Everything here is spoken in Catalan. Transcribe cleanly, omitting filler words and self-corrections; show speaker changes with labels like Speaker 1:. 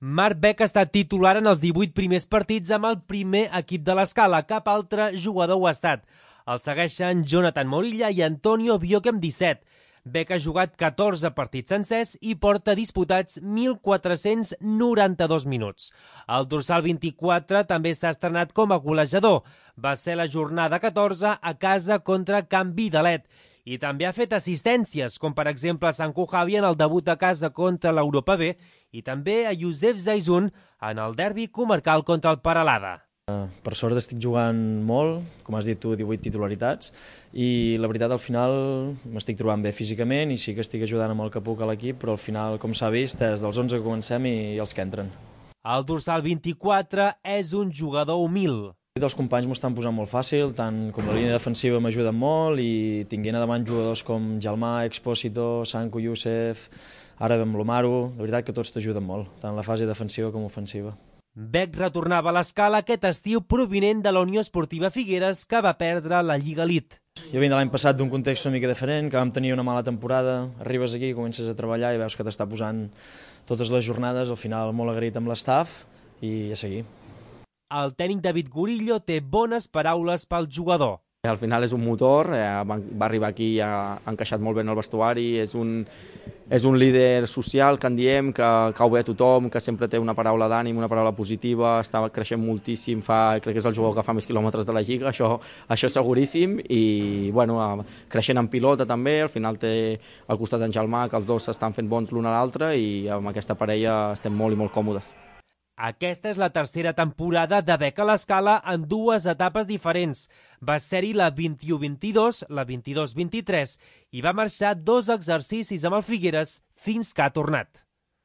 Speaker 1: Marc Beck ha estat titular en els 18 primers partits amb el primer equip de l'Escala. Cap altre jugador ho ha estat. El segueixen Jonathan Morilla i Antonio Bioque amb 17. Beck ha jugat 14 partits sencers i porta disputats 1.492 minuts. El dorsal 24 també s'ha estrenat com a golejador. Va ser la jornada 14 a casa contra Can Vidalet. I també ha fet assistències, com per exemple a Sanku Javi en el debut a casa contra l'Europa B i també a Josep Zaizun en el derbi comarcal contra el Peralada.
Speaker 2: Per sort estic jugant molt, com has dit tu, 18 titularitats, i la veritat al final m'estic trobant bé físicament i sí que estic ajudant amb el que puc a l'equip, però al final, com s'ha vist, és dels 11 que comencem i els que entren.
Speaker 1: El dorsal 24 és un jugador humil.
Speaker 2: Els companys m'ho estan posant molt fàcil, tant com la línia defensiva m'ajuden molt i tinguent a davant jugadors com Jalmà, Expósito, Sanku, Youssef, ara amb l'Omaru, la veritat que tots t'ajuden molt, tant la fase defensiva com ofensiva.
Speaker 1: Beck retornava a l'Escala aquest estiu provinent de la Unió Esportiva Figueres, que va perdre la Lliga Elite.
Speaker 2: Jo vinc de l'any passat d'un context una mica diferent, que vam tenir una mala temporada, arribes aquí, comences a treballar i veus que t'està posant totes les jornades, al final molt agraït amb l'estaf i a seguir.
Speaker 1: El tècnic David Gurillo té bones paraules pel jugador.
Speaker 3: Al final és un motor, va arribar aquí i ha encaixat molt bé en el vestuari, és un líder social, que en diem, que cau bé a tothom, que sempre té una paraula d'ànim, una paraula positiva, està creixent moltíssim, crec que és el jugador que fa més quilòmetres de la Lliga, això seguríssim, i bueno, creixent en pilota també, al final té al costat en Jalmà, que els dos estan fent bons l'un a l'altre i amb aquesta parella estem molt i molt còmodes.
Speaker 1: Aquesta és la tercera temporada de Beck a l'Escala en dues etapes diferents. Va ser-hi la 21-22, la 22-23 i va marxar 2 exercicis amb el Figueres fins que ha tornat.